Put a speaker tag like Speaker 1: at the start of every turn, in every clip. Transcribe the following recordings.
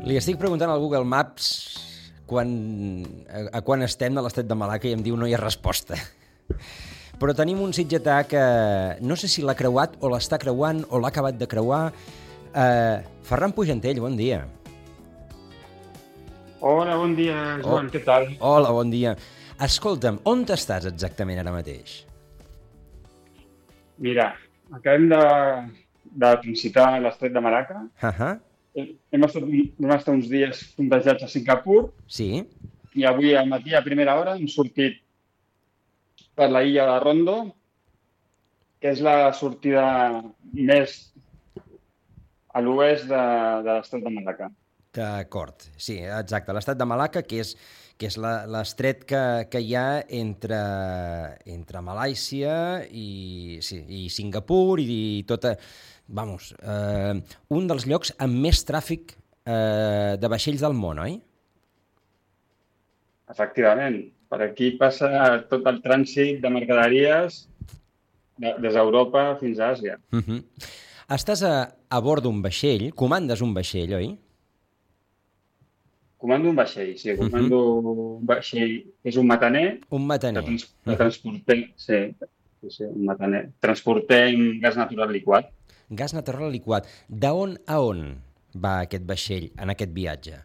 Speaker 1: Li estic preguntant al Google Maps a quan estem de l'Estret de Malacca i em diu no hi ha resposta. Però tenim un sitgetà que no sé si l'ha creuat o l'està creuant o l'ha acabat de creuar. Ferran Pujantell, bon dia.
Speaker 2: Hola, bon dia, Joan, què tal?
Speaker 1: Hola, bon dia. Escolta'm, on estàs exactament ara mateix?
Speaker 2: Mira, acabem de transitar l'Estret de Malacca. Hem estat uns dies fondejats a Singapur.
Speaker 1: Sí.
Speaker 2: I avui al matí, a primera hora, hem sortit per la illa de Rondo, que és la sortida més a l'oest de l'Estret de Malacca.
Speaker 1: D'acord, sí, exacte. L'Estret de Malacca, que és l'estret que hi ha entre Malàisia i Singapur i tota... Vamos, un dels llocs amb més tràfic de vaixells del món, oi?
Speaker 2: Efectivament. Per aquí passa tot el trànsit de mercaderies des d'Europa fins a Àsia.
Speaker 1: Estàs a bord d'un vaixell, comandes un vaixell, oi?
Speaker 2: Comando un vaixell, sí. Comando un vaixell, és un mataner.
Speaker 1: Un mataner.
Speaker 2: Que transportem, sí, un mataner. Transportem gas natural liquat.
Speaker 1: Gas natural liquat. D'on a on va aquest vaixell en aquest viatge?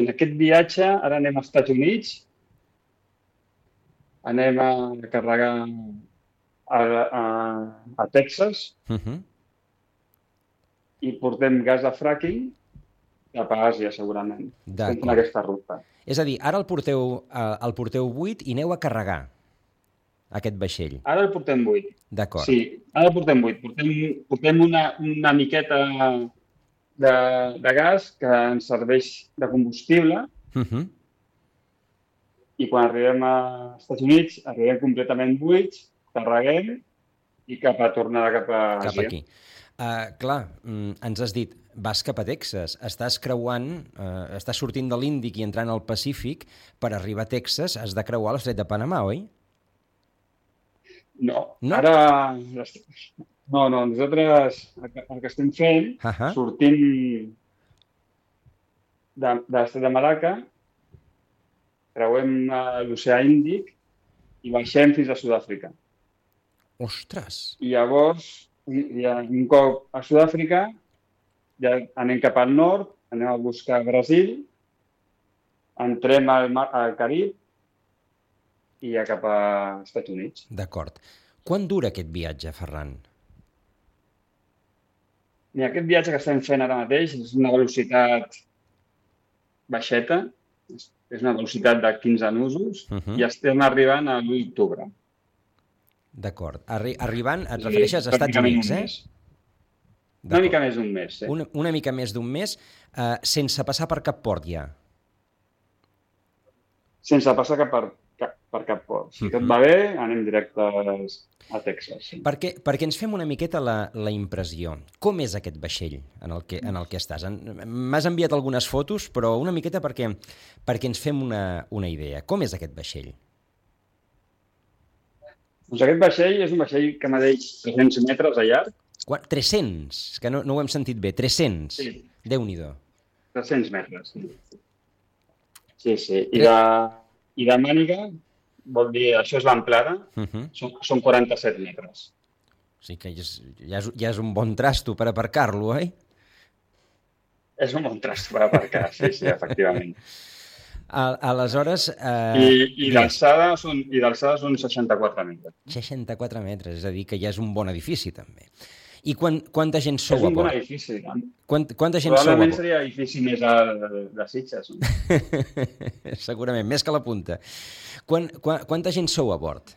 Speaker 2: En aquest viatge, ara anem als Estats Units, anem a carregar a Texas i portem gas de fracking cap a Àsia, segurament. Estem fent aquesta ruta.
Speaker 1: És a dir, ara el porteu buit i aneu a carregar aquest vaixell.
Speaker 2: Ara el portem buit.
Speaker 1: D'acord.
Speaker 2: Sí, ara el portem buit. Portem una miqueta de gas que ens serveix de combustible i quan arribem als Estats Units arribem completament buits, carreguem i tornada cap a Àsia.
Speaker 1: Cap aquí. Clar, ens has dit, vas cap a Texas, estàs creuant, estàs sortint de l'Índic i entrant al Pacífic, per arribar a Texas has de creuar l'Estret de Panamà, oi?
Speaker 2: No, ara... No, nosaltres el que estem fent, sortint de l'Estret de Malacca, creuem l'oceà Índic i baixem fins a Sud-àfrica.
Speaker 1: Ostres!
Speaker 2: I llavors, un cop a Sud-àfrica, ja anem cap al nord, anem a buscar Brasil, entrem al Carib i ja cap als Estats Units.
Speaker 1: D'acord. Quant dura aquest viatge, Ferran?
Speaker 2: Mira, aquest viatge que estem fent ara mateix és una velocitat baixeta, és una velocitat de 15 nusos i estem arribant a l'1 d'octubre.
Speaker 1: D'acord. Arribant, et refereixes a Estats Units, eh?
Speaker 2: Una mica més d'un mes, sí.
Speaker 1: Una mica més d'un mes, sense passar per cap port ja?
Speaker 2: Sense passar per cap port. Si tot va bé, anem directes a Texas. Sí.
Speaker 1: Perquè ens fem una miqueta la impressió. Com és aquest vaixell en el que estàs? M'has enviat algunes fotos, però una miqueta perquè ens fem una idea. Com és aquest vaixell?
Speaker 2: Doncs aquest vaixell és un vaixell que medeix 300 metres de llarg.
Speaker 1: 300? Que no ho hem sentit bé. 300?
Speaker 2: Sí.
Speaker 1: Déu-n'hi-do.
Speaker 2: 300 metres, sí. Sí. I de màniga, vol dir, això és l'amplada, són 47 metres.
Speaker 1: O sigui que ja és un bon trasto per aparcar-lo, oi?
Speaker 2: És un bon trasto per aparcar, sí, efectivament.
Speaker 1: Aleshores...
Speaker 2: I d'alçada són 64 metres.
Speaker 1: 64 metres, és a dir, que ja és un bon edifici, també. I quanta gent sou a bord?
Speaker 2: És un bon edifici.
Speaker 1: Quanta gent sou a bord?
Speaker 2: Probablement seria edifici més de Sitges.
Speaker 1: Segurament, més que la punta. Quanta gent sou a bord?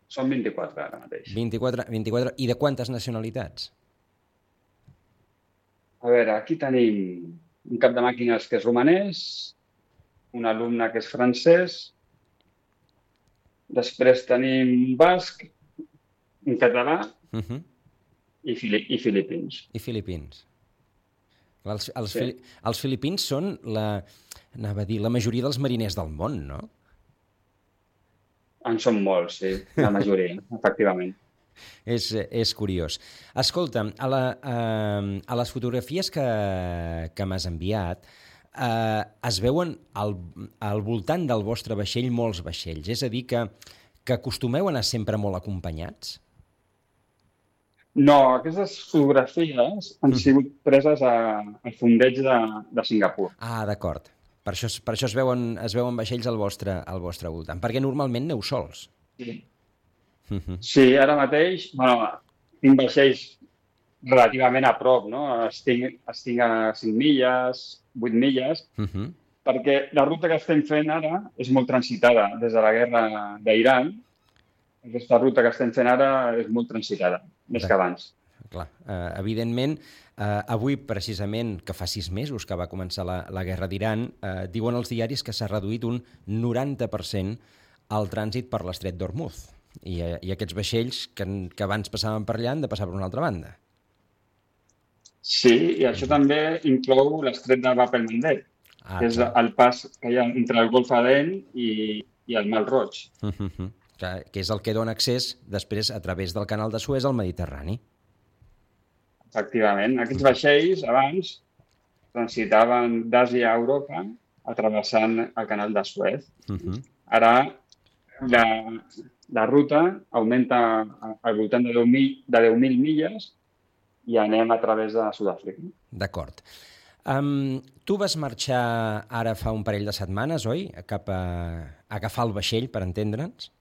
Speaker 2: Són 24 ara mateix.
Speaker 1: 24. I de quantes nacionalitats?
Speaker 2: A veure, aquí tenim un cap de màquines que és romanès, un alumne que és francès, després tenim un basc, un català i filipins.
Speaker 1: I filipins. Els filipins són la majoria dels mariners del món, no?
Speaker 2: En són molts, sí, la majoria, efectivament.
Speaker 1: És curiós. Escolta, a les fotografies que m'has enviat es veuen al voltant del vostre vaixell molts vaixells. És a dir, que acostumeu a anar sempre molt acompanyats?
Speaker 2: No, aquestes fotografies han sigut preses al fondeig de Singapur.
Speaker 1: Ah, d'acord. Per això es veuen vaixells al vostre voltant, perquè normalment aneu sols.
Speaker 2: Sí. Sí, ara mateix, tinc vaixells relativament a prop, no? Estic a 5 milles, 8 milles, perquè la ruta que estem fent ara és molt transitada des de la guerra d'Iran. Aquesta ruta que estem fent ara és molt transitada, més que abans.
Speaker 1: Clar, evidentment, avui, precisament, que fa 6 mesos que va començar la guerra d'Iran, diuen els diaris que s'ha reduït un 90% el trànsit per l'estret d'Hormuz. I aquests vaixells que abans passaven per allà han de passar per una altra banda.
Speaker 2: Sí, i això també inclou l'estret de Bab el-Mandeb, que és el pas que hi ha entre el Golf Aden i el Mar Roig.
Speaker 1: Que és el que dona accés després a través del canal de Suez al Mediterrani.
Speaker 2: Efectivament. Aquests vaixells abans transitaven d'Àsia a Europa travessant el canal de Suez. Ara la ruta augmenta al voltant de 10.000 milles i anem a través de Sud-àfrica.
Speaker 1: D'acord. Tu vas marxar ara fa un parell de setmanes, oi? Cap a agafar el vaixell, per entendre'ns.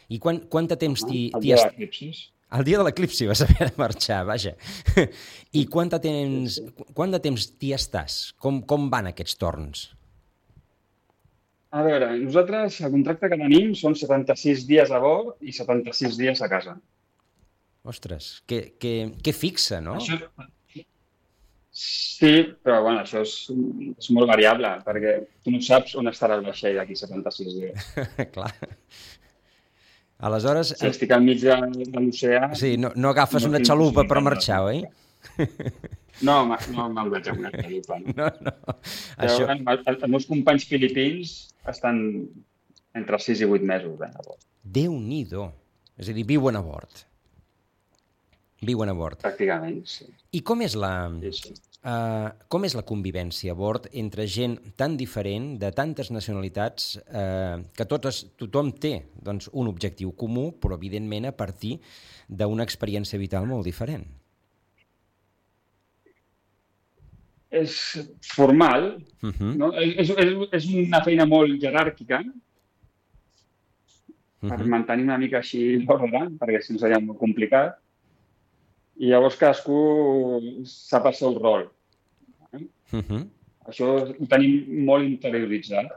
Speaker 1: I quant de temps t'hi...
Speaker 2: El dia de l'eclipsi.
Speaker 1: El dia de l'eclipsi vas haver de marxar, vaja. I quant de temps t'hi estàs? Com van aquests torns?
Speaker 2: A veure, nosaltres el contracte que tenim són 76 dies a bord i 76 dies a casa.
Speaker 1: Ostres, que fixa, no?
Speaker 2: Sí, però això és molt variable, perquè tu no saps on estarà el vaixell d'aquí 76 dies.
Speaker 1: Clar. Aleshores...
Speaker 2: Si estic al mig de l'oceà...
Speaker 1: Sí, no agafes una xalupa per marxar, oi?
Speaker 2: No me'l veig amb una xalupa.
Speaker 1: No.
Speaker 2: Però els meus companys filipins estan entre 6 i 8 mesos a bord.
Speaker 1: Déu-n'hi-do. És a dir, viuen a bord.
Speaker 2: Pràcticament, sí.
Speaker 1: I com és la...
Speaker 2: Sí.
Speaker 1: Com és la convivència a bord entre gent tan diferent, de tantes nacionalitats, que tothom té doncs, un objectiu comú, però evidentment a partir d'una experiència vital molt diferent?
Speaker 2: És formal, no? És una feina molt jeràrquica per mantenir una mica així l'ordre, perquè si no seria molt complicat. I llavors cadascú sap el seu rol. Això ho tenim molt interioritzat,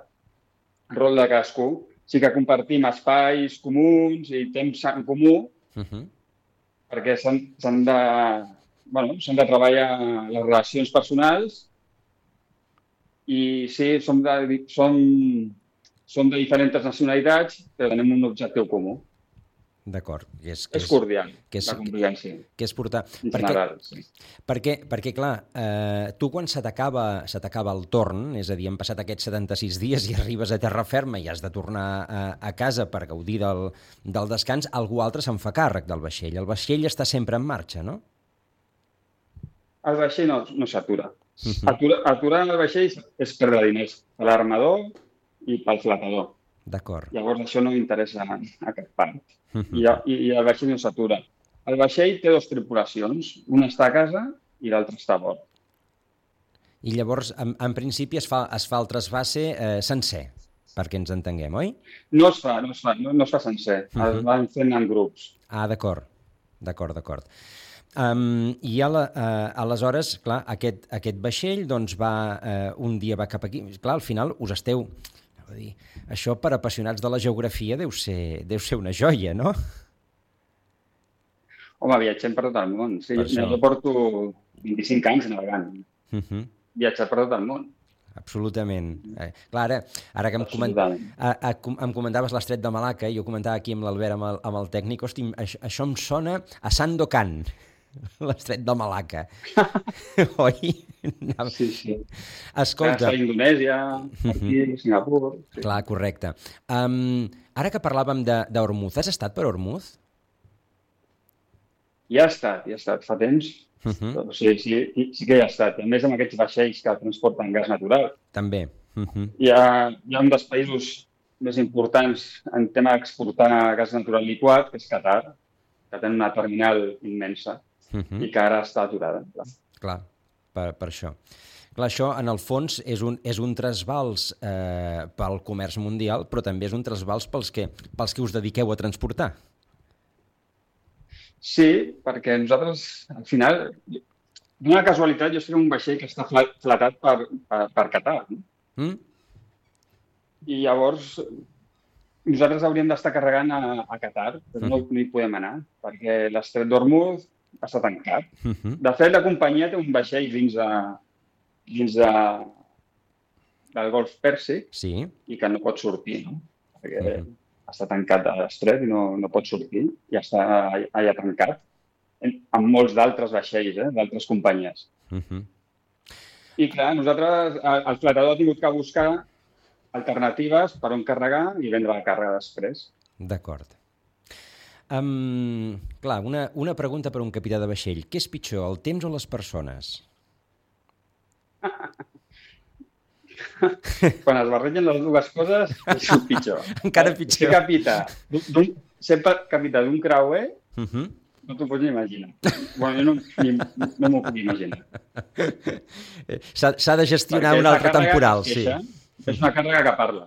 Speaker 2: el rol de cadascú. Sí que compartim espais comuns i temps en comú, perquè s'han de treballar les relacions personals i sí, som de diferents nacionalitats, però tenim un objectiu comú.
Speaker 1: D'acord.
Speaker 2: És cordial, la convivència.
Speaker 1: Que és portar...
Speaker 2: En general, sí.
Speaker 1: Perquè clar, tu quan se t'acaba el torn, és a dir, han passat aquests 76 dies i arribes a terra ferma i has de tornar a casa per gaudir del descans, algú altre se'n fa càrrec del vaixell. El vaixell està sempre en marxa, no?
Speaker 2: El vaixell no s'atura. Aturar el vaixell és perdre diners per l'armador i pel flotador.
Speaker 1: D'acord.
Speaker 2: Llavors això no interessa a cap part. I el vaixell no s'atura. El vaixell té 2 tripulacions, una està a casa i l'altra està a bord.
Speaker 1: I llavors, en principi, es fa el trasbase sencer, perquè ens entenguem, oi?
Speaker 2: No es fa sencer, el van fent en grups.
Speaker 1: Ah, d'acord. I aleshores, clar, aquest vaixell doncs un dia va cap aquí. Clar, al final us esteu... Això per apassionats de la geografia deu ser una joia, no?
Speaker 2: Home, viatgem per tot el món. Sí, jo porto 25 anys navegant. Viatjar per tot el món.
Speaker 1: Absolutament. Clar, ara que em comentaves l'estret de Malacca, jo comentava aquí amb l'Albert, amb el tècnic, hosti, això em sona a Sandokan, l'estret de Malacca. Oi?
Speaker 2: Sí.
Speaker 1: Escolta...
Speaker 2: A Indonèsia, aquí, Singapur... Sí.
Speaker 1: Clar, correcte. Ara que parlàvem d'Hormuz, has estat per Hormuz?
Speaker 2: hi ha estat fa temps. Però sí que hi ha estat. A més, amb aquests vaixells que transporten gas natural.
Speaker 1: També.
Speaker 2: Hi ha un dels països més importants en tema d'exportar gas natural liquat, que és Qatar, que té una terminal immensa i que ara està aturada.
Speaker 1: Clar, per això. Clar, això, en el fons, és un trasbals pel comerç mundial, però també és un trasbals pels que us dediqueu a transportar.
Speaker 2: Sí, perquè nosaltres, al final, d'una casualitat, jo estic en un vaixell que està flatat per Qatar. No? I llavors nosaltres hauríem d'estar carregant a Qatar, però no hi podem anar, perquè l'estret d'Hormuz està tancat. De fet, la companyia té un vaixell dins del Golf Pèrsic i que no pot sortir, no? Perquè està tancat a l'estret i no pot sortir i està allà tancat, amb molts d'altres vaixells, d'altres companyies. I clar, nosaltres, el flatador ha tingut que buscar alternatives per on carregar i vendre la càrrega després.
Speaker 1: D'acord. Clar, una pregunta per un capità de vaixell. Què és pitjor, el temps o les persones?
Speaker 2: Quan es barregen les dues coses, és pitjor.
Speaker 1: Encara pitjor.
Speaker 2: Ser capità d'un creuer, no t'ho pots ni imaginar. Bueno, no m'ho puc imaginar.
Speaker 1: S'ha de gestionar un altre temporal, sí.
Speaker 2: És una càrrega que parla.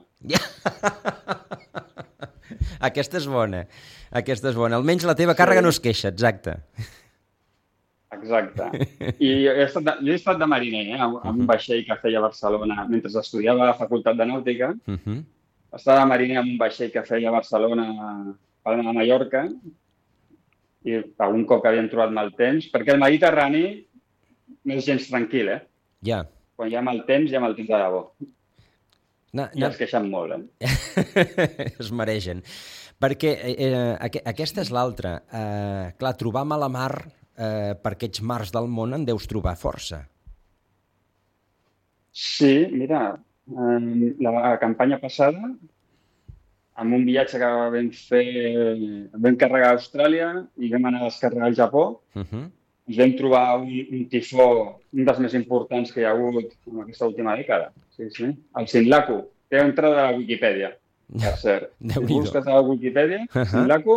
Speaker 1: Aquesta és bona. Almenys la teva càrrega no es queixa, exacte.
Speaker 2: Exacte. I jo he estat de mariner, amb un vaixell que feia a Barcelona mentre estudiava a la Facultat de Nàutica. Estava de mariner amb un vaixell que feia a Barcelona per anar a Mallorca i algun cop que havíem trobat mal temps, perquè el Mediterrani no és gens tranquil,
Speaker 1: Ja.
Speaker 2: Quan hi ha mal temps, hi ha mal temps de debò. I es queixen molt,
Speaker 1: Es maregen. Perquè aquesta és l'altra. Clar, trobar mala mar per aquests mars del món en deus trobar força.
Speaker 2: Sí, mira, la campanya passada, amb un viatge que vam fer, vam carregar a Austràlia i vam anar a descarregar al Japó, ens vam trobar un tifó, un dels més importants que hi ha hagut en aquesta última dècada. Sí. El Sinlaku, té entrada a la Wikipedia, per cert. Si busques a la Wikipedia, Sinlaku,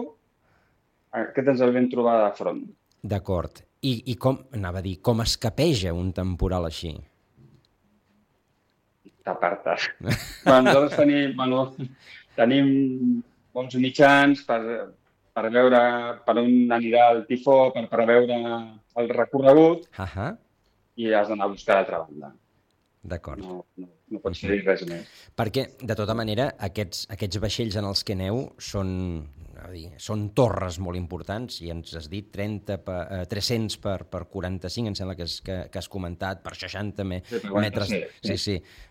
Speaker 2: aquest ens el vam trobar de front.
Speaker 1: D'acord. I com, anava a dir, com escapeja un temporal així?
Speaker 2: T'apartes. Nosaltres tenim bons mitjans per veure per on anirà el tifó, per preveure el recorregut i has d'anar a buscar l'altra banda.
Speaker 1: D'acord.
Speaker 2: No pots fer res més.
Speaker 1: Perquè, de tota manera, aquests vaixells en els que aneu són torres molt importants, i ens has dit 300 per 45, em sembla que has comentat, per 60 metres,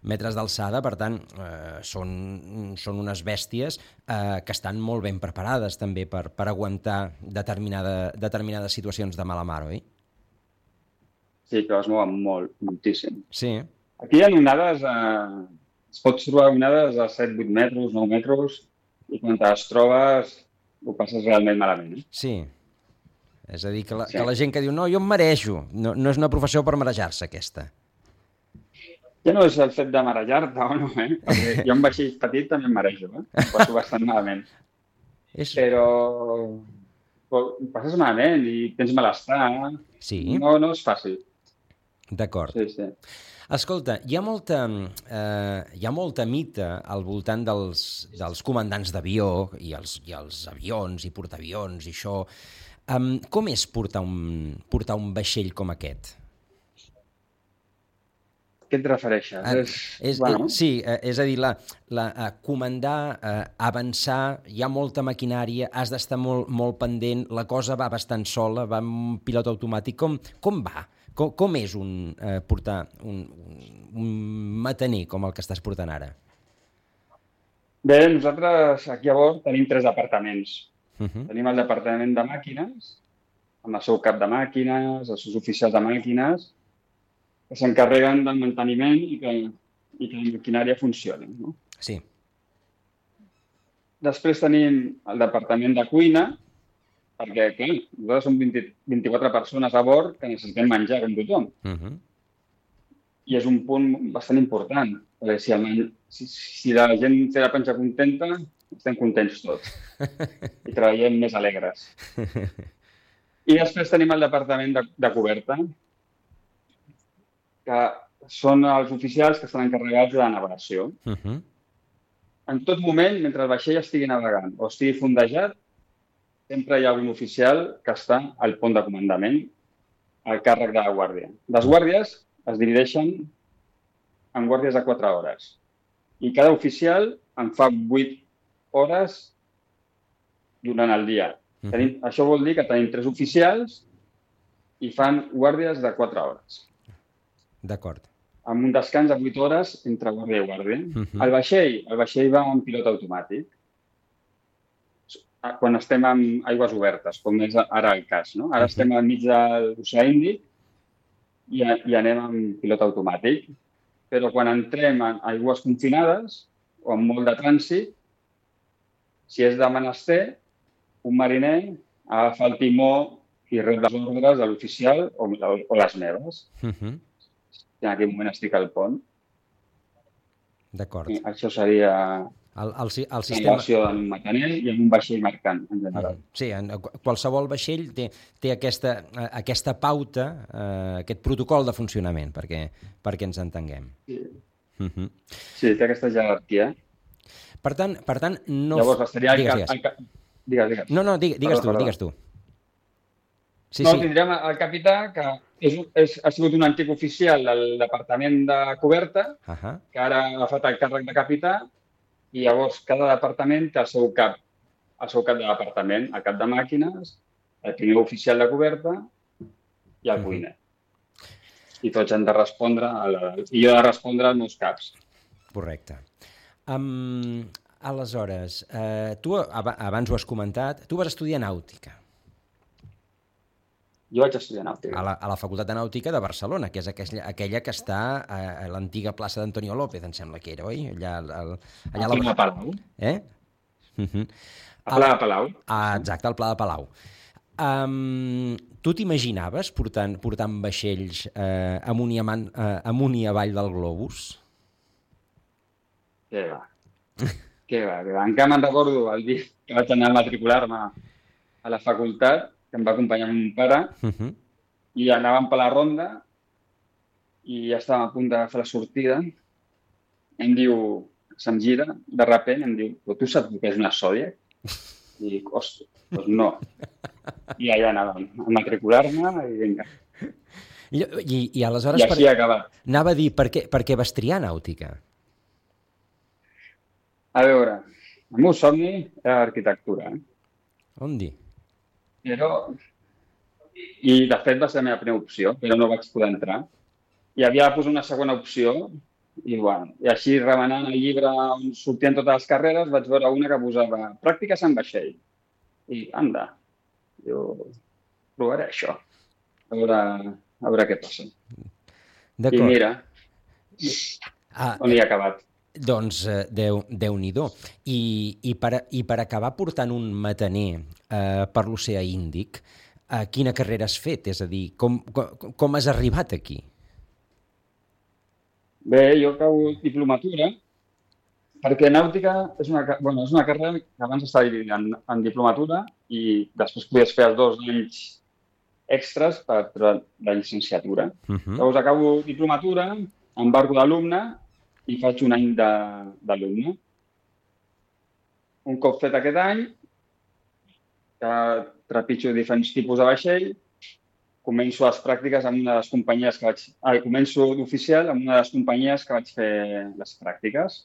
Speaker 1: metres d'alçada. Per tant, són unes bèsties que estan molt ben preparades també per aguantar determinades situacions de mala mar, oi?
Speaker 2: Sí, que es mouen moltíssim.
Speaker 1: Sí.
Speaker 2: Aquí hi ha onades, es pots trobar onades a 7-8 metres, 9 metres, i quan te les trobes ho passes realment malament.
Speaker 1: Sí. És a dir, que la gent que diu no, jo em marejo. No és una professió per marejar-se, aquesta.
Speaker 2: Ja no és el fet de marejar-te o no, perquè jo en vaixell petit també em marejo, Ho passo bastant malament. Però ho passes malament i tens malestar.
Speaker 1: Sí.
Speaker 2: No és fàcil.
Speaker 1: D'acord.
Speaker 2: Sí.
Speaker 1: Escolta, hi ha molta mita al voltant dels comandants d'avió i els avions i portaavions i això. Com és portar un vaixell com aquest?
Speaker 2: Què et refereixes?
Speaker 1: Sí, és a dir, comandar, avançar, hi ha molta maquinària, has d'estar molt pendent, la cosa va bastant sola, va amb un pilot automàtic. Com va? Com és portar un mataner com el que estàs portant ara?
Speaker 2: Bé, nosaltres aquí a bord tenim 3 departaments. Tenim el departament de màquines, amb el seu cap de màquines, els seus oficials de màquines, que s'encarreguen del manteniment i que la maquinària funcioni. No?
Speaker 1: Sí.
Speaker 2: Després tenim el departament de cuina, perquè, clar, nosaltres som 24 persones a bord que necessitem menjar com tothom. I és un punt bastant important, perquè si la gent té la panxa contenta, estem contents tots i treballem més alegres. I després tenim el departament de coberta, que són els oficials que estan encarregats de la navegació. En tot moment, mentre el vaixell estigui navegant o estigui fondejat, sempre hi ha un oficial que està al pont de comandament al càrrec de la guàrdia. Les guàrdies es divideixen en guàrdies de 4 hores i cada oficial en fa 8 hores durant el dia. Això vol dir que tenim 3 oficials i fan guàrdies de 4 hores.
Speaker 1: D'acord.
Speaker 2: Amb un descans de 8 hores entre guàrdia i guàrdia. El vaixell va amb pilot automàtic. Quan estem en aigües obertes, com és ara el cas, no? Ara estem enmig de l'Oceà Índic i anem amb pilot automàtic. Però quan entrem en aigües confinades o amb molt de trànsit, si és de menester, un mariner agafa el timó i rep les ordres de l'oficial o les meves. En aquell moment estic al pont.
Speaker 1: D'acord.
Speaker 2: Això seria
Speaker 1: el sistema...
Speaker 2: relació en un macaner i en un vaixell mercant, en general.
Speaker 1: Sí, qualsevol vaixell té aquesta pauta, aquest protocol de funcionament, perquè ens entenguem.
Speaker 2: Sí, té aquesta jerarquia.
Speaker 1: Per tant no...
Speaker 2: Llavors, seria Digues.
Speaker 1: No, digues tu. Sí.
Speaker 2: Tindrem el capità, que ha sigut un antic oficial del departament de coberta, que ara ha agafat el càrrec de capità, i llavors cada departament té el seu cap de departament, el cap de màquines, el primer oficial de coberta i el cuiner. I tots han de respondre, i jo he de respondre als meus caps.
Speaker 1: Correcte. Aleshores, tu abans ho has comentat, tu vas estudiar nàutica.
Speaker 2: Jo vaig estudiar nàutica.
Speaker 1: A la Facultat de Nàutica de Barcelona, que és aquella que està a l'antiga plaça d'Antonio López, em sembla que era, oi?
Speaker 2: Allà a Palau.
Speaker 1: A Pla de Palau. Exacte, al Pla de Palau. Tu t'imaginaves portant vaixells amunt i avall del globus?
Speaker 2: Què va. Encara me'n recordo el dia que vaig anar a matricular-me a la facultat, que em va acompanyar mon pare, i anàvem per la ronda i ja estàvem a punt d'agafar la sortida. Em diu, se'm gira, de sobte em diu, però tu saps què és una Zodiac? I dic, ostres, doncs no. I allà anàvem a matricular-me i vinga.
Speaker 1: I aleshores...
Speaker 2: I així ha acabat.
Speaker 1: Anava a dir, per què vas triar nàutica?
Speaker 2: A veure, el meu somni era l'arquitectura.
Speaker 1: On dir?
Speaker 2: I de fet va ser la meva primera opció, però no vaig poder entrar. I havia de posar una segona opció i així remenant el llibre on sortien totes les carreres vaig veure una que posava pràctiques en vaixell. I anda, jo provaré això, a veure què passa. I mira, on hi ha acabat.
Speaker 1: Doncs Déu-n'hi-do. I per acabar portant un mataner per l'Oceà Índic, quina carrera has fet? És a dir, com has arribat aquí?
Speaker 2: Bé, jo acabo diplomatura, perquè nàutica és una carrera que abans estava dividida en diplomatura i després podies fer els 2 anys extras per la llicenciatura. Llavors acabo diplomatura, embarco d'alumne i faig un any d'alumne. Un cop fet aquest any, que trepitjo diferents tipus de vaixell, començo les pràctiques en una de les companyies començo d'oficial en una de les companyies que vaig fer les pràctiques.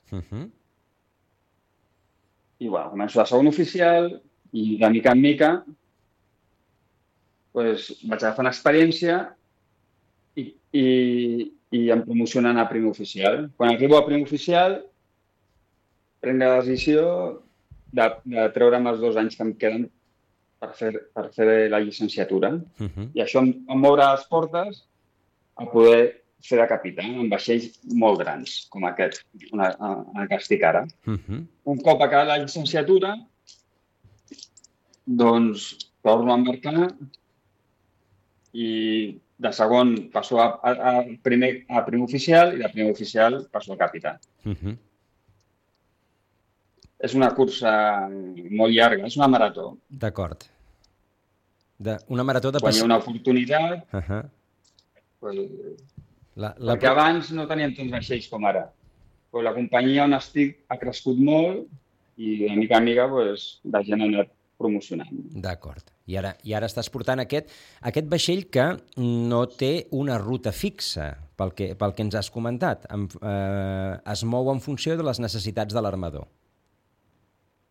Speaker 2: I començo de segon oficial i de mica en mica vaig agafant experiència i em promocionen a primer oficial. Quan arribo a primer oficial, prenc la decisió de treure'm els 2 anys que em queden per fer la llicenciatura. I això em obre les portes a poder fer de capità en vaixells molt grans, com aquest, en el que estic ara. Un cop acabat la llicenciatura, doncs torno a embarcar i de segon passo a primer oficial i de primer oficial passo a capità. És una cursa molt llarga, és una marató.
Speaker 1: D'acord. Una marató de...
Speaker 2: Quan hi ha una oportunitat... Perquè abans no teníem tants vaixells com ara. Però la companyia on estic ha crescut molt i de mica en mica la gent ha anat promocionant.
Speaker 1: D'acord. I ara estàs portant aquest vaixell que no té una ruta fixa, pel que ens has comentat. Es mou en funció de les necessitats de l'armador.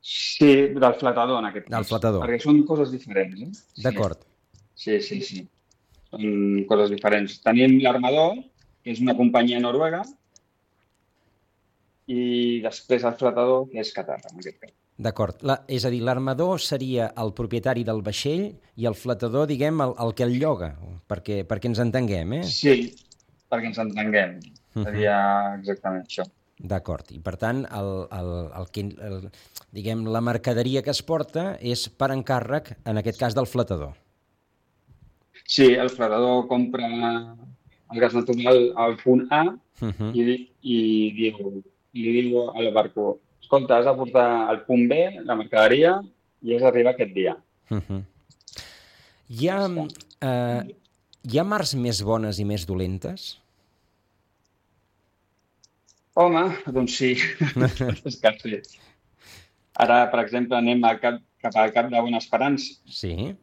Speaker 2: Sí, del flotador, en aquest cas.
Speaker 1: Del flotador.
Speaker 2: Perquè són coses diferents. Sí.
Speaker 1: D'acord.
Speaker 2: Sí. Són coses diferents. Tenim l'armador, que és una companyia noruega, i després el flotador, que és Qatar, en aquest cas.
Speaker 1: D'acord. És a dir, l'armador seria el propietari del vaixell i el flotador, diguem, el que el lloga, perquè ens entenguem,
Speaker 2: Sí, perquè ens entenguem. Seria exactament això.
Speaker 1: D'acord. I, per tant, diguem, la mercaderia que es porta és per encàrrec, en aquest cas, del flotador. Sí,
Speaker 2: el flotador compra el gas natural al punt A i li diu al barco: escolta, has de portar al punt B la mercaderia i has d'arribar aquest dia.
Speaker 1: Hi ha mars més bones i més dolentes?
Speaker 2: Home, doncs sí. És que sí. Ara, per exemple, anem cap al Cap de Bona Esperança.
Speaker 1: Sí.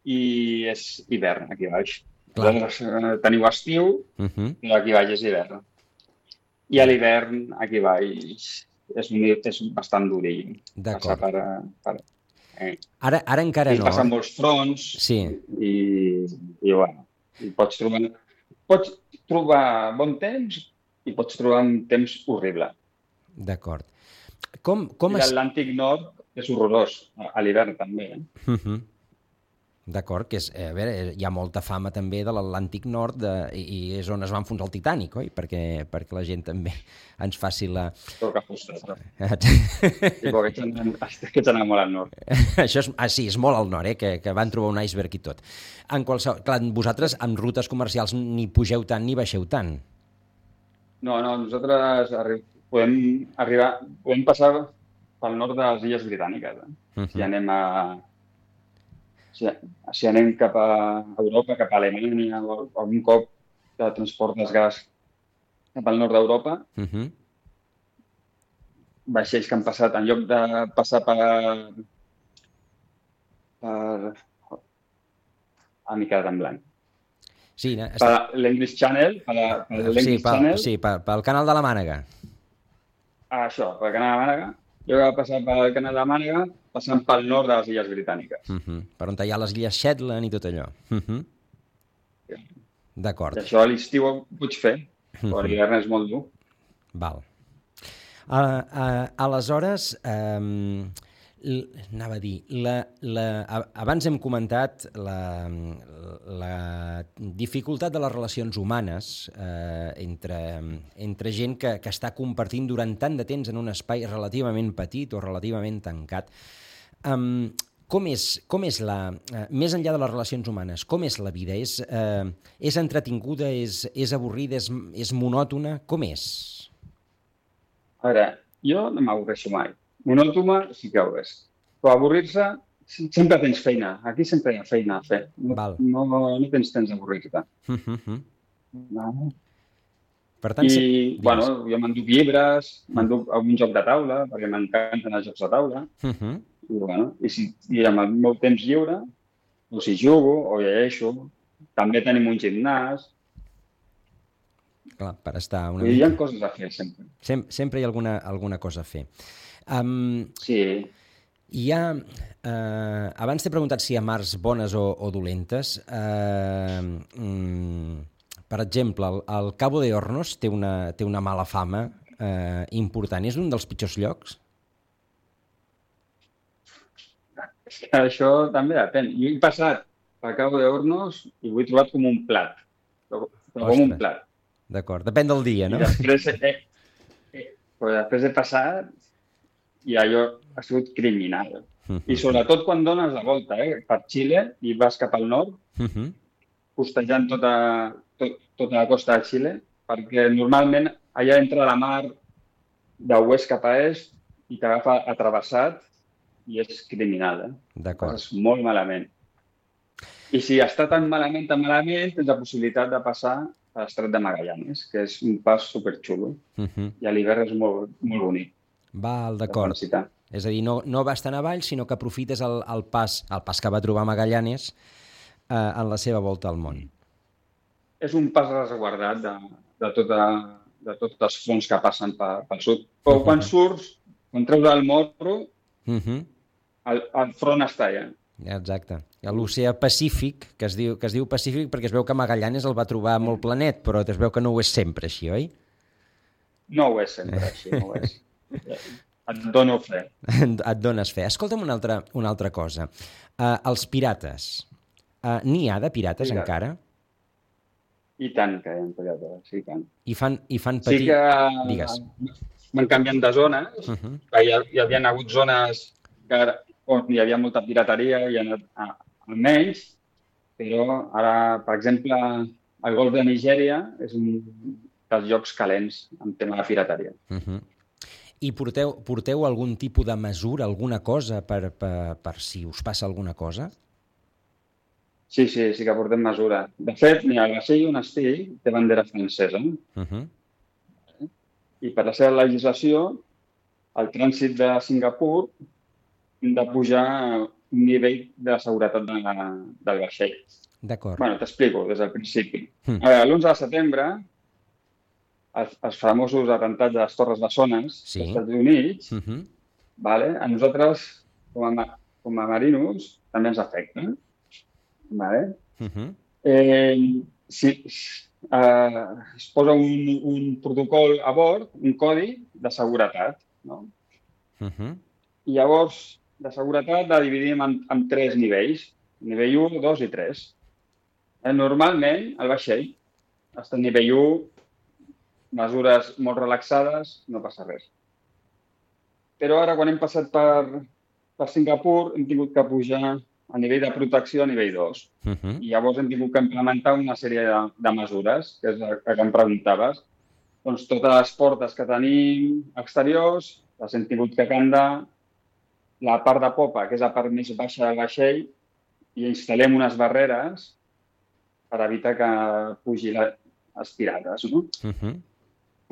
Speaker 2: I és hivern, aquí baix. Teniu estiu, però aquí baix és hivern. I a l'hivern, aquí baix, és bastant durill.
Speaker 1: D'acord.
Speaker 2: Ara
Speaker 1: encara no.
Speaker 2: I passen molts fronts.
Speaker 1: Sí.
Speaker 2: I bueno, pots trobar bon temps i pots trobar un temps horrible.
Speaker 1: D'acord.
Speaker 2: I l'Atlàntic Nord és horrorós, a l'hivern també.
Speaker 1: D'acord, que hi ha molta fama també de l'Atlàntic Nord i és on es va enfonsar el Titanic, oi? Perquè la gent també ens faci la...
Speaker 2: Però que fostes, no? Sí, aquests anem molt al nord.
Speaker 1: Això sí, és molt al nord, que van trobar un iceberg i tot. Clar, vosaltres en rutes comercials ni pugeu tant ni baixeu tant.
Speaker 2: No, nosaltres podem passar pel nord de les Illes Britàniques. Si anem cap a Europa, cap a Alemanya, o algun cop que transportes gas cap al nord d'Europa, vaixells que han passat, en lloc de passar per mica en blanc.
Speaker 1: Sí,
Speaker 2: per l'English Channel,
Speaker 1: pel canal de la Mànega.
Speaker 2: Això, pel canal de la Mànega. Jo vaig passar pel canal de la Mànega, passant pel nord de les Illes Britàniques.
Speaker 1: Per on hi ha les Illes Shetland i tot allò. D'acord.
Speaker 2: I això a l'estiu ho pots fer, però l'hivern és molt dur.
Speaker 1: Val. Aleshores, anava a dir, abans hem comentat la dificultat de les relacions humanes entre gent que està compartint durant tant de temps en un espai relativament petit o relativament tancat. Com és més enllà de les relacions humanes, com és la vida? És entretinguda, és avorrida, és monòtona? Com és?
Speaker 2: A veure, jo no m'avorreixo mai. Monòtona sí que ho és. Però avorrir-se, sempre tens feina. Aquí sempre hi ha feina a fer. No tens temps d'avorrir-te.
Speaker 1: Per tant,
Speaker 2: jo m'enduc llibres, m'enduc algun joc de taula, perquè m'encanten els jocs de taula. I amb el meu temps lliure, o si jugo o llegeixo, també tenim un gimnàs.
Speaker 1: Clar, per estar una
Speaker 2: mica... Hi ha coses a fer, sempre.
Speaker 1: Sempre hi ha alguna cosa a fer.
Speaker 2: Sí.
Speaker 1: Hi ha... abans t'he preguntat si hi ha mars bones o dolentes. Per exemple, el Cabo de Hornos té una mala fama important. És un dels pitjors llocs?
Speaker 2: Això també depèn. Jo he passat pel Cabo de Hornos i ho he trobat com un plat. Però com un plat.
Speaker 1: D'acord, depèn del dia, no?
Speaker 2: I després he passat i allò ha sigut criminal. I sobretot quan dones la volta per Xile i vas cap al nord, costejant tota la costa de Xile, perquè normalment allà entra la mar d'oest cap a est i t'agafa atrevessat i és criminal.
Speaker 1: D'acord.
Speaker 2: Passes molt malament. I si està tan malament, tens la possibilitat de passar a l'Estret de Magallanes, que és un pas superxulo. I a l'hivern és molt, molt bonic.
Speaker 1: Val, d'acord. És a dir, no vas tan avall, sinó que aprofites el pas que va trobar Magallanes en la seva volta al món.
Speaker 2: És un pas resguardat de tots els fronts que passen pel sud. Però quan surts, quan treus el morro, el front està allà.
Speaker 1: Exacte. L'oceà Pacífic, que es diu Pacífic perquè es veu que Magallanes el va trobar molt planet, però es veu que no ho és sempre així, oi?
Speaker 2: No ho és sempre així, no ho és. Et dono fe.
Speaker 1: Et dones fe. Escolta'm una altra cosa. Els pirates. N'hi ha de pirates encara?
Speaker 2: I tant que hi ha pirates, sí, tant.
Speaker 1: I fan patir...
Speaker 2: Sí que
Speaker 1: Digues.
Speaker 2: van canviant de zones, hi havia hagut zones on hi havia molta pirateria i ha anat almenys, però ara, per exemple, el golf de Nigèria és un dels llocs calents en tema de pirateria.
Speaker 1: I porteu algun tipus de mesura, alguna cosa, per si us passa alguna cosa?
Speaker 2: Sí que portem mesura. De fet, ni el vaixell on estigui té bandera francesa. I per la seva legislació, el trànsit de Singapur hem de pujar un nivell de seguretat del vaixell.
Speaker 1: D'acord.
Speaker 2: Bueno, t'explico des del principi. L'11 de setembre, els famosos atentats de les Torres Bessones dels Estats Units, a nosaltres, com a marinos, també ens afecta. Es posa un protocol a bord, un codi de seguretat. I llavors, de seguretat la dividim en 3 nivells. Nivell 1, 2 i 3. Normalment, el vaixell està a nivell 1, mesures molt relaxades, no passa res. Però ara, quan hem passat per Singapur, hem tingut que pujar a nivell de protecció a nivell 2. I llavors hem tingut que implementar una sèrie de mesures, que és el que em preguntaves. Doncs totes les portes que tenim exteriors les hem tingut que candar, la part de popa, que és la part més baixa del vaixell, i instal·lem unes barreres per evitar que pugi les pirates.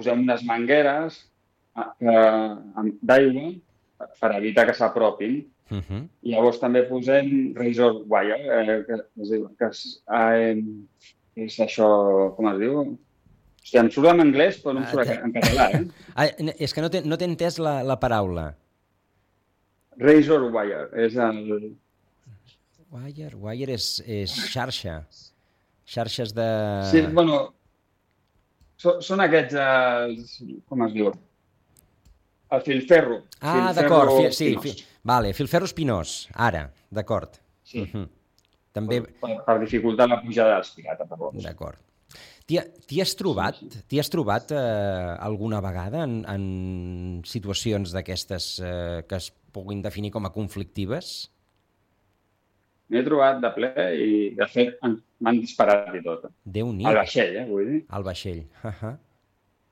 Speaker 2: Posem unes mangueres d'aigua per evitar que s'apropin. I llavors també posem razor wire, que és això, com es diu? Hòstia, em surt en anglès, però no em surt en català.
Speaker 1: És que no t'he entès la paraula.
Speaker 2: Razor wire, és el...
Speaker 1: Wire és xarxa. Xarxes de...
Speaker 2: Sí, bueno, són aquests, com es diu? El filferro.
Speaker 1: D'acord, sí. Vale, filferro espinós, ara, d'acord.
Speaker 2: Sí, per dificultar la pujada dels pirates.
Speaker 1: D'acord. T'hi has trobat alguna vegada en situacions d'aquestes que es puguin definir com a conflictives?
Speaker 2: M'he trobat de ple i, de fet, m'han disparat i tot.
Speaker 1: Déu-n'hi.
Speaker 2: Al vaixell, vull dir.
Speaker 1: Al vaixell.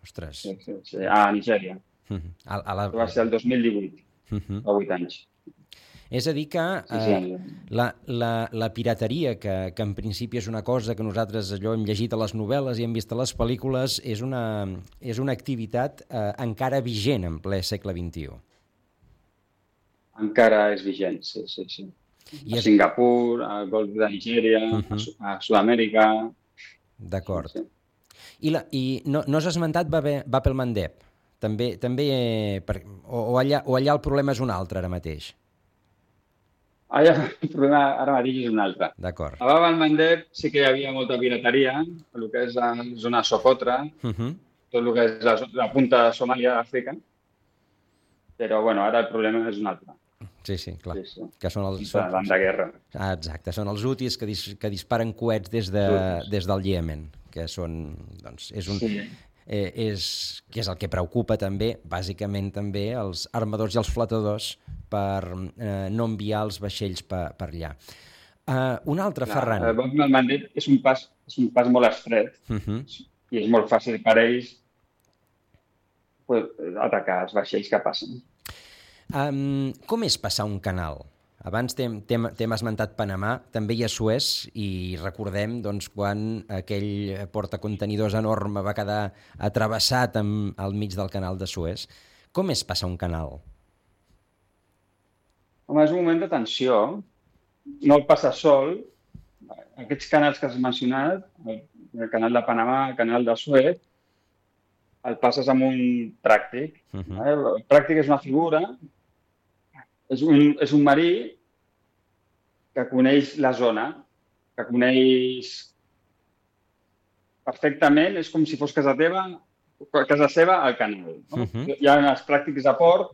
Speaker 1: Ostres.
Speaker 2: Sí, a Nigèria. Va ser el 2018, fa 8 anys.
Speaker 1: És a dir que la pirateria, que en principi és una cosa que nosaltres allò hem llegit a les novel·les i hem vist a les pel·lícules, és una activitat encara vigent en ple segle XXI.
Speaker 2: Encara és vigent, sí. A Singapur, al golf de Nigèria, a Sud-amèrica...
Speaker 1: D'acord. I no has esmentat Bab el-Mandeb? També, o allà el problema és un altre ara mateix?
Speaker 2: Allà el problema ara mateix és un altre.
Speaker 1: D'acord.
Speaker 2: A Bab el-Mandeb sí que hi havia molta pirateria, el que és la zona de Socotra, tot el que és la punta de Somàlia d'Àfrica, però ara el problema és un altre.
Speaker 1: Sí, clar. Sí. Que són els...
Speaker 2: Davant de guerra.
Speaker 1: Exacte, són els hutis que disparen coets des del Iemen, que són, doncs, que és el que preocupa també, bàsicament també, els armadors i els flotadors per no enviar els vaixells per allà. Un altre,
Speaker 2: Clar,
Speaker 1: Ferran.
Speaker 2: el Bob Normandy és un pas molt estret i és molt fàcil per ells atacar els vaixells que passen.
Speaker 1: Com és passar un canal? Abans t'hem esmentat Panamà, també hi ha Suez, i recordem doncs, quan aquell portacontenidors enorme va quedar atrevessat al mig del canal de Suez. Com és passar un canal?
Speaker 2: Home, és un moment de tensió. No el passa sol. Aquests canals que has mencionat, el canal de Panamà, el canal de Suez, el passes amb un pràctic. El pràctic és una figura, és un marí que coneix la zona, que coneix perfectament, és com si fos casa seva al canal. No? Hi ha els pràctics de port,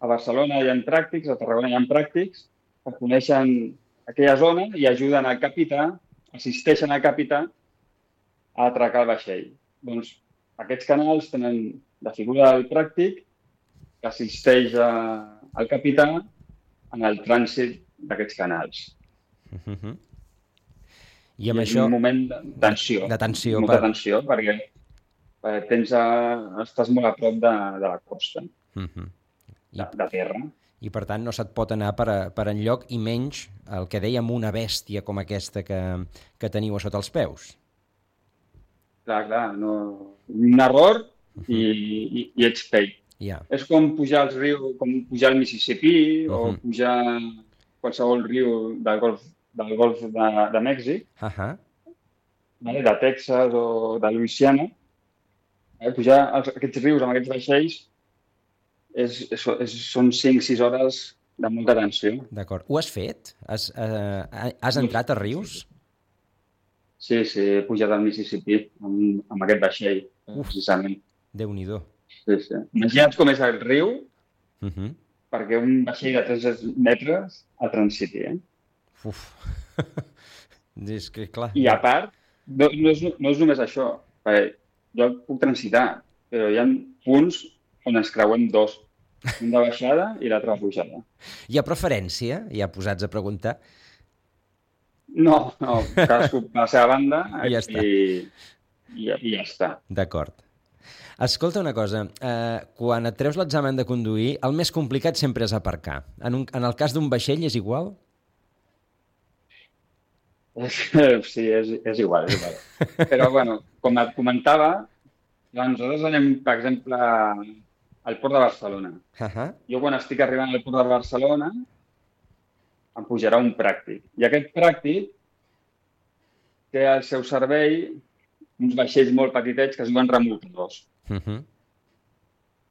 Speaker 2: a Barcelona hi ha pràctics, a Tarragona hi ha pràctics, que coneixen aquella zona i ajuden al capità, assisteixen al capità a atracar el vaixell. Doncs aquests canals tenen la figura del pràctic que assisteix al capità en el trànsit d'aquests canals.
Speaker 1: I amb això...
Speaker 2: un moment de tensió.
Speaker 1: De tensió.
Speaker 2: Molta tensió, perquè estàs molt a prop de la costa, de terra.
Speaker 1: I, per tant, no se't pot anar per enlloc, i menys el que dèiem una bèstia com aquesta que teniu a sota els peus.
Speaker 2: Clar, no... un error i ets pell. És com pujar als rius, com pujar al Mississipí o pujar qualsevol riu del golf de Mèxic, de Texas o de Louisiana. Pujar aquests rius amb aquests vaixells són 5-6 hores de molta tensió.
Speaker 1: D'acord. Ho has fet? Has entrat a rius?
Speaker 2: Sí, he pujat al Mississippi amb aquest vaixell, precisament.
Speaker 1: Déu-n'hi-do.
Speaker 2: Sí. Imagina't com és el riu perquè un vaixell de 3 metres el transiti,
Speaker 1: És que, clar...
Speaker 2: I a part, no és només això, perquè jo puc transitar, però hi ha punts on ens creuem dos, un de baixada i l'altre de pujada.
Speaker 1: Hi ha preferència? Ja posats a preguntar?
Speaker 2: No, cadascú a la seva banda
Speaker 1: i ja està.
Speaker 2: I ja està.
Speaker 1: D'acord. Escolta una cosa, quan et treus l'examen de conduir, el més complicat sempre és aparcar. En el cas d'un vaixell és igual?
Speaker 2: Sí, és igual. Però, bueno, com et comentava, nosaltres anem, per exemple, al Port de Barcelona. Jo, quan estic arribant al Port de Barcelona, em pujarà un pràctic. I aquest pràctic té al seu servei uns vaixells molt petitets que es diuen remolcadors.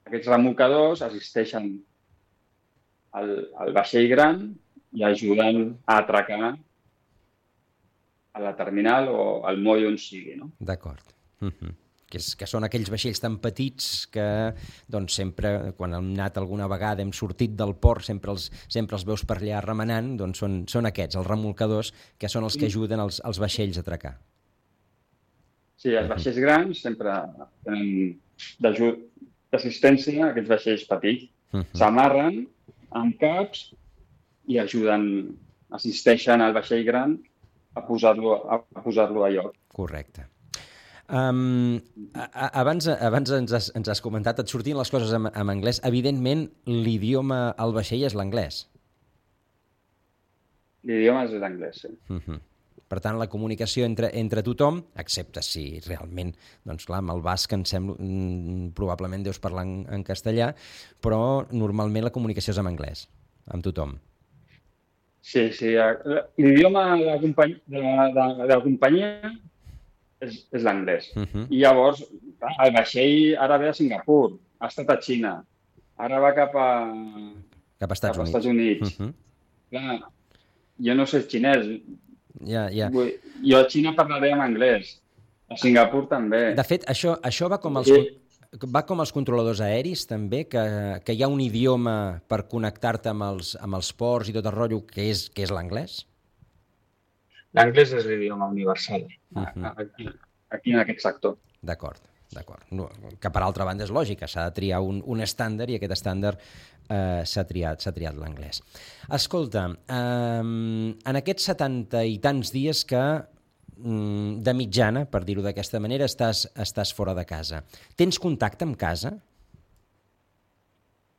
Speaker 2: Aquests remolcadors assisteixen al vaixell gran i ajuden a atracar a la terminal o al moll on sigui. No?
Speaker 1: D'acord. Que són aquells vaixells tan petits que doncs, sempre, quan hem anat alguna vegada, hem sortit del port, sempre els veus per allà remenant, doncs són aquests, els remolcadors, que són els que ajuden els vaixells a atracar.
Speaker 2: Sí, els vaixells grans sempre tenen d'assistència a aquests vaixells petits. S'amarren amb caps i assisteixen al vaixell gran a posar-lo a lloc.
Speaker 1: Correcte. Abans ens has comentat, et sortien les coses en anglès. Evidentment, l'idioma al vaixell és l'anglès.
Speaker 2: L'idioma és l'anglès, sí.
Speaker 1: Per tant, la comunicació entre tothom, excepte si realment, doncs clar, amb el basc em sembla, probablement deus parlar en castellà, però normalment la comunicació és en anglès, amb tothom.
Speaker 2: Sí. L'idioma de la companyia és l'anglès. I llavors, el vaixell ara ve a Singapur, ha estat a Xina, ara va cap a Estats Units. Clar, jo no sé xinès. Jo a Xina parlaré en anglès, a Singapur també.
Speaker 1: De fet, això va com els controladors aeris també, que hi ha un idioma per connectar-te amb els ports i tot el rotllo que és l'anglès?
Speaker 2: L'anglès és l'idioma universal, aquí en aquest sector.
Speaker 1: D'acord. D'acord. No, que per altra banda és lògica, s'ha de triar un estàndard i aquest estàndard s'ha triat l'anglès. Escolta, en aquests 70 i tants dies que de mitjana, per dir-ho d'aquesta manera, estàs fora de casa, tens contacte amb casa?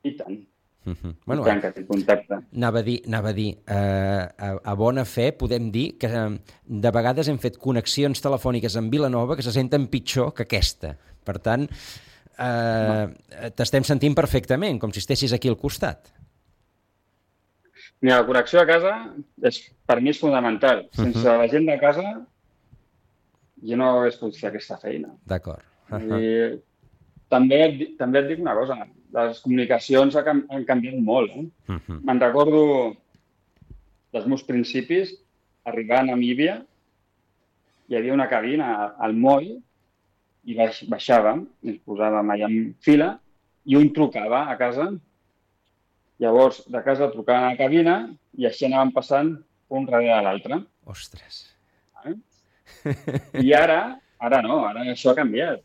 Speaker 2: I tant.
Speaker 1: Bueno,
Speaker 2: I tant que tinc contacte.
Speaker 1: Anava a dir, a bona fe podem dir que de vegades hem fet connexions telefòniques amb Vilanova que se senten pitjor que aquesta. Per tant, t'estem sentint perfectament, com si estessis aquí al costat.
Speaker 2: Mira, la connexió a casa per mi és fonamental. Sense la gent de casa jo no hagués pogut fer aquesta feina.
Speaker 1: D'acord.
Speaker 2: I també et dic una cosa, les comunicacions han canviat molt. Me'n recordo dels meus principis, arribar a Namíbia, hi havia una cabina al moll i baixàvem, ens posàvem allà en fila i un trucava a casa. Llavors, de casa trucaven a la cabina i així anàvem passant un darrere l'altre.
Speaker 1: Ostres.
Speaker 2: I ara no, ara això ha canviat.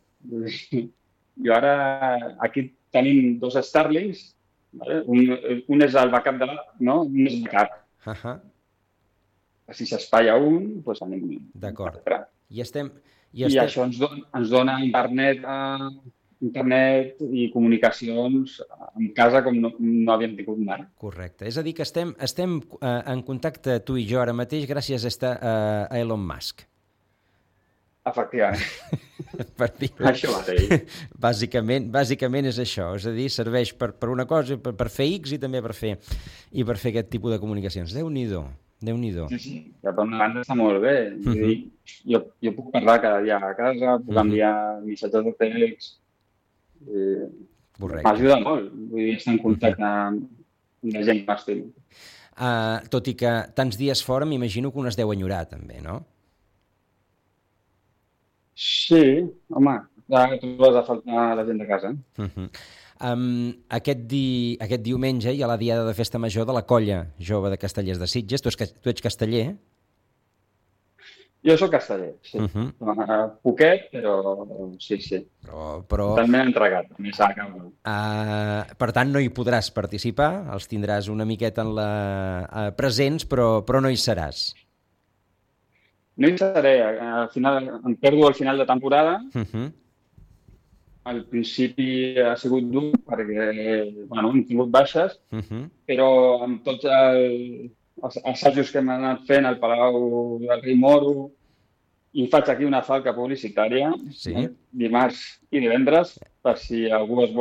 Speaker 2: Jo ara aquí tenim 2 Starlinks, vale? Un és el backup un és backup. Si s'espatlla un, doncs anem.
Speaker 1: D'acord. I
Speaker 2: això ens dona internet i comunicacions en casa com no havíem tingut mai.
Speaker 1: Correcte. És a dir, que estem en contacte tu i jo ara mateix gràcies a Elon Musk.
Speaker 2: Efectivament.
Speaker 1: Això mateix. Bàsicament és això. És a dir, serveix per una cosa, per fer X i també per fer aquest tipus de comunicacions. Déu-n'hi-do.
Speaker 2: Sí. Per una banda està molt bé. Jo puc parlar cada dia a casa, puc enviar missatges de text. M'ajuda molt. Vull dir, estar en contacte amb la gent que m'estimo.
Speaker 1: Tot i que tants dies fora, m'imagino que un es deu enyorar, també, no?
Speaker 2: Sí, home, ja trobes a faltar la gent de casa.
Speaker 1: Aquest diumenge hi ha la diada de festa major de la Colla Jove de Castellers de Sitges. Tu ets casteller?
Speaker 2: Jo soc casteller, sí. Poquet, però sí.
Speaker 1: Però...
Speaker 2: També entregat, també s'ha acabat.
Speaker 1: Per tant, no hi podràs participar, els tindràs una miqueta presents, però no hi seràs.
Speaker 2: No hi seré, al final em perdo al final de temporada. Al principi ha sigut dur perquè hem tingut baixes, però amb tots els assajos que hem anat fent al Palau del Rei Moro, i faig aquí una falca publicitària, dimarts i divendres, per si algú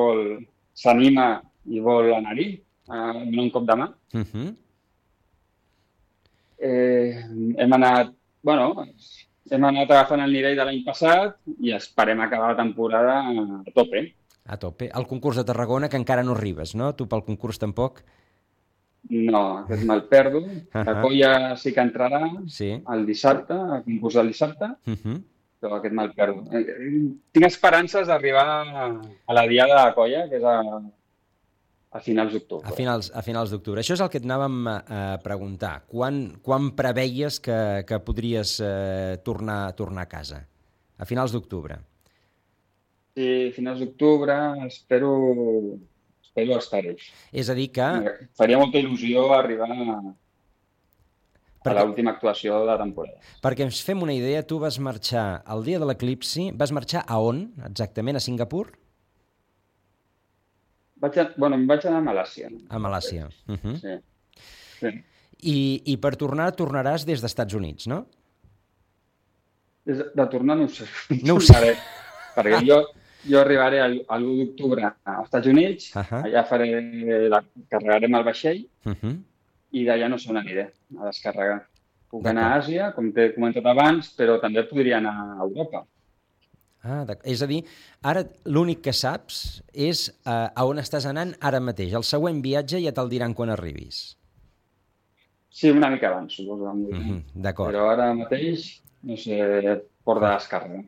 Speaker 2: s'anima i vol anar-hi, donar un cop de mà. Hem anat agafant el nivell de l'any passat i esperem acabar la temporada a tope.
Speaker 1: A tope. El concurs de Tarragona, que encara no arribes, no? Tu pel concurs tampoc?
Speaker 2: No, aquest me'l perdo. La Colla sí que entrarà el dissabte, al concurs del dissabte, però aquest me'l perdo. Tinc esperances d'arribar a la diada de la Colla, que és a finals d'octubre.
Speaker 1: A finals d'octubre. Això és el que et anàvem a preguntar. Quan preveies que podries tornar a casa? A finals d'octubre.
Speaker 2: Sí, a finals d'octubre espero estar-hi.
Speaker 1: És a dir que...
Speaker 2: Faria molta il·lusió arribar a l'última actuació de la temporada.
Speaker 1: Perquè ens fem una idea, tu vas marxar el dia de l'eclipsi, vas marxar a on, exactament? A Singapur?
Speaker 2: Em vaig anar a Malàisia.
Speaker 1: A Malàisia.
Speaker 2: Sí.
Speaker 1: I per tornaràs des dels Estats Units, no?
Speaker 2: De tornar no ho sé.
Speaker 1: No ho sé.
Speaker 2: Perquè jo arribaré l'1 d'octubre als Estats Units, allà carregarem el vaixell i d'allà no sé on aniré a descarregar. Puc anar a Àsia, com t'he comentat abans, però també podria anar a Europa.
Speaker 1: És a dir, ara l'únic que saps és a on estàs anant ara mateix. El següent viatge ja te'l diran quan arribis.
Speaker 2: Sí, una mica abans, suposo.
Speaker 1: D'acord.
Speaker 2: Però ara mateix, no sé, port de descàrrega.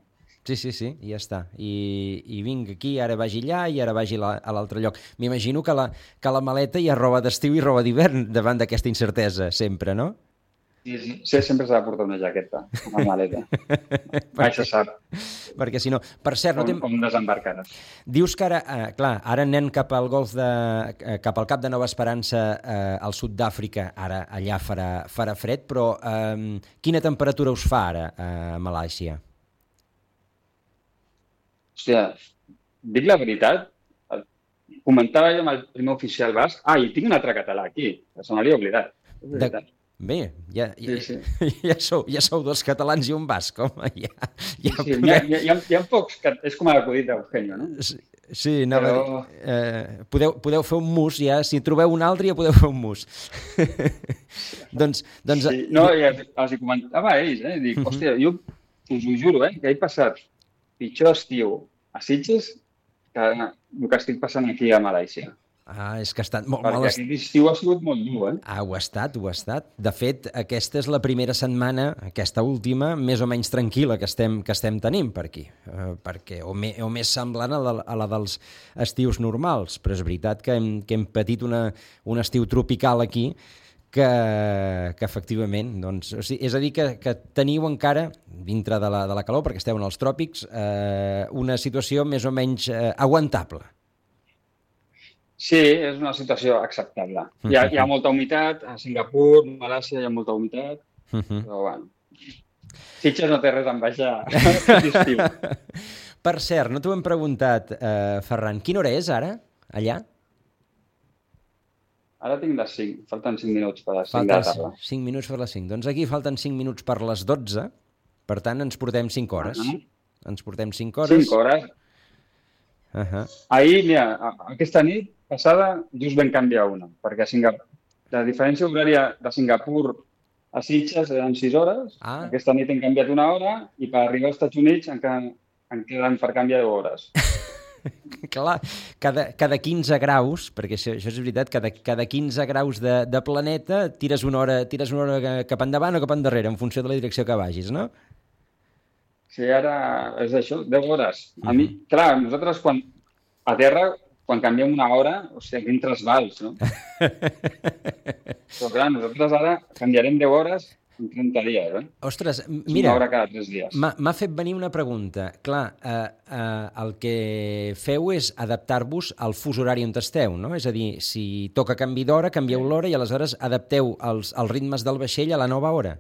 Speaker 1: Sí, i ja està. I vinc aquí, ara vagi allà i ara vagi a l'altre lloc. M'imagino que la maleta hi ha roba d'estiu i roba d'hivern davant d'aquesta incertesa, sempre, no?
Speaker 2: Sí, sempre s'ha de portar una jaqueta a la maleta. Mai se sap
Speaker 1: Perquè si no... Per cert, no
Speaker 2: on desembarcaràs.
Speaker 1: dius que ara, clar, ara anem cap al cap al Cap de Nova Esperança, al sud d'Àfrica, ara allà farà fred, però quina temperatura us fa ara a Malàisia?
Speaker 2: Hòstia, dic la veritat, comentava jo amb el primer oficial basc, i tinc un altre català aquí, que se m'havia oblidat. És veritat.
Speaker 1: Bé,
Speaker 2: Sí.
Speaker 1: ja sou dos catalans i un basc, home,
Speaker 2: Sí, hi ha pocs que és com l'acudit d'Eugenio, no?
Speaker 1: Sí, anava a dir, podeu fer un mus, ja, si trobeu un altre ja podeu fer un mus. doncs...
Speaker 2: Sí, no, i els hi comentava a ells, dic, hòstia, jo us ho juro, que he passat pitjor estiu a Sitges que el que estic passant aquí a Malàisia.
Speaker 1: És que ha estat molt...
Speaker 2: Perquè aquest estiu ha sigut molt dur,
Speaker 1: Ho ha estat. De fet, aquesta és la primera setmana, aquesta última, més o menys tranquil·la que estem tenint per aquí, o més semblant a la dels estius normals, però és veritat que hem patit un estiu tropical aquí que efectivament, doncs, o sigui, és a dir, que teniu encara, dintre de la calor, perquè esteu en els tròpics, una situació més o menys aguantable.
Speaker 2: Sí, és una situació acceptable. Hi ha molta humitat, a Singapur, Malàisia hi ha molta humitat, però bueno, Sitges no té res a envejar aquest estiu.
Speaker 1: Per cert, no t'ho hem preguntat, Ferran, quina hora és ara, allà?
Speaker 2: Ara tinc les 5, falten 5 minuts per les 5 de la tarda.
Speaker 1: 5 minuts per les 5. Doncs aquí falten 5 minuts per les 12, per tant ens portem 5 hores. Ens portem 5 hores.
Speaker 2: 5 hores. Ahir, mira, aquesta nit passada just vam canviar una, perquè la diferència horària de Singapur a Sitges eren 6 hores, aquesta nit hem canviat una hora i per arribar als Estats Units en queden per canviar 10 hores.
Speaker 1: Clar, cada 15 graus, perquè això és veritat, cada 15 graus de planeta tires una hora cap endavant o cap endarrere, en funció de la direcció que vagis, no?
Speaker 2: Sí, ara és això, 10 hores. A mi, clar, nosaltres a terra, quan canviem una hora, o sigui, quin trasbals, no? Però clar, nosaltres ara canviarem 10 hores en 30 dies,
Speaker 1: Ostres, mira,
Speaker 2: una hora cada 3 dies.
Speaker 1: M'ha fet venir una pregunta. Clar, el que feu és adaptar-vos al fus horari on esteu, no? És a dir, si toca canvi d'hora, canvieu l'hora i aleshores adapteu els ritmes del vaixell a la nova hora.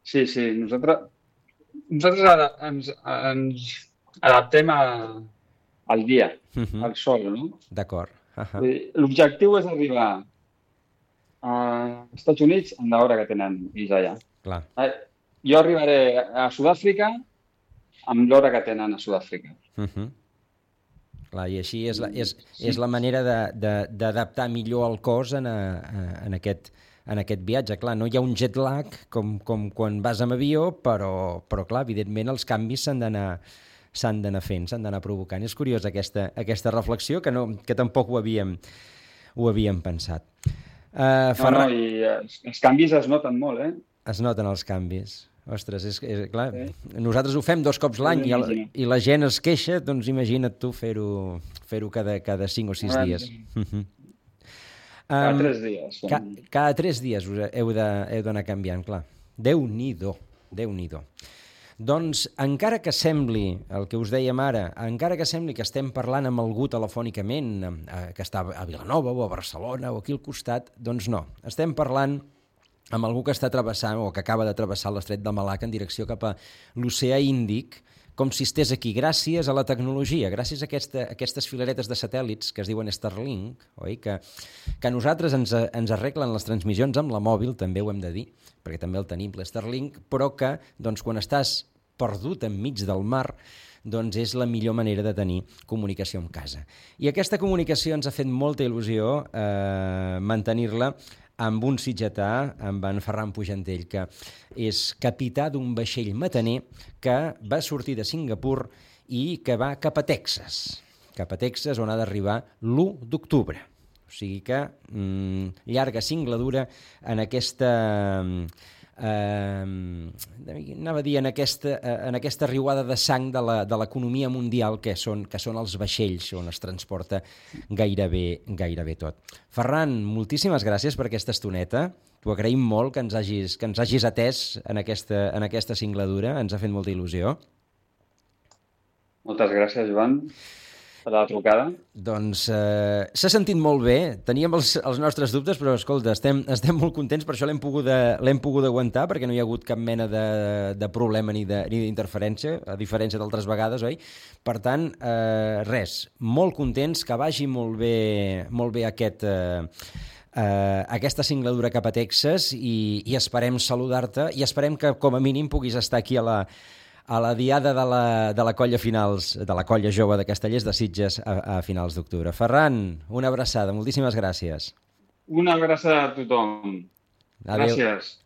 Speaker 2: Sí, nosaltres ara ens adaptem al dia, al sol, no?
Speaker 1: D'acord.
Speaker 2: L'objectiu és arribar als Estats Units en l'hora que tenen ells allà.
Speaker 1: Clar.
Speaker 2: Jo arribaré a Sud-àfrica amb l'hora que tenen a Sud-àfrica.
Speaker 1: Clar, i així és la manera d'adaptar millor el cos en aquest viatge. Clar, no hi ha un jet lag com quan vas amb avió, però clar, evidentment els canvis s'han d'anar fent, s'han d'anar provocant. És curiós aquesta reflexió, que tampoc ho havíem pensat.
Speaker 2: I els canvis es noten molt,
Speaker 1: Es noten els canvis. Ostres, és clar, nosaltres ho fem 2 cops l'any i la gent es queixa, doncs imagina't tu fer-ho cada 5 o 6 dies.
Speaker 2: Cada 3 dies.
Speaker 1: Cada 3 dies heu d'anar canviant, clar. Déu-n'hi-do. Doncs, encara que sembli, el que us dèiem ara, encara que sembli que estem parlant amb algú telefònicament, que està a Vilanova o a Barcelona o aquí al costat, doncs no. Estem parlant amb algú que està travessant o que acaba de travessar l'estret de Malacca en direcció cap a l'oceà Índic, com si estés aquí, gràcies a la tecnologia, gràcies a aquestes filaretes de satèl·lits que es diuen Starlink, oi? Que a nosaltres ens arreglen les transmissions amb la mòbil, també ho hem de dir, perquè també el tenim, l'Starlink, però que doncs, quan estàs perdut enmig del mar, doncs és la millor manera de tenir comunicació amb casa. I aquesta comunicació ens ha fet molta il·lusió mantenir-la amb un sitgetà, amb en Ferran Pujantell, que és capità d'un vaixell mataner que va sortir de Singapur i que va cap a Texas, on ha d'arribar l'1 d'octubre. O sigui que llarga singladura en aquesta anava a dir, en aquesta riuada de sang de l'economia mundial que són els vaixells on es transporta gairebé tot. Ferran, moltíssimes gràcies per aquesta estoneta. T'ho agraïm molt que ens hagis atès en aquesta singladura. Ens ha fet molta il·lusió.
Speaker 2: Moltes gràcies, Joan, per la trucada.
Speaker 1: Doncs s'ha sentit molt bé. Teníem els nostres dubtes, però escolta, estem molt contents, per això l'hem pogut aguantar, perquè no hi ha hagut cap mena de problema ni d'interferència, a diferència d'altres vegades, oi? Per tant, res, molt contents, que vagi molt bé aquesta singladura cap a Texas i esperem saludar-te i esperem que com a mínim puguis estar aquí a la diada de la colla finals, de la colla jove de Castellers de Sitges a finals d'octubre. Ferran, una abraçada, moltíssimes gràcies.
Speaker 2: Una abraçada a tothom.
Speaker 1: Adéu.
Speaker 2: Gràcies.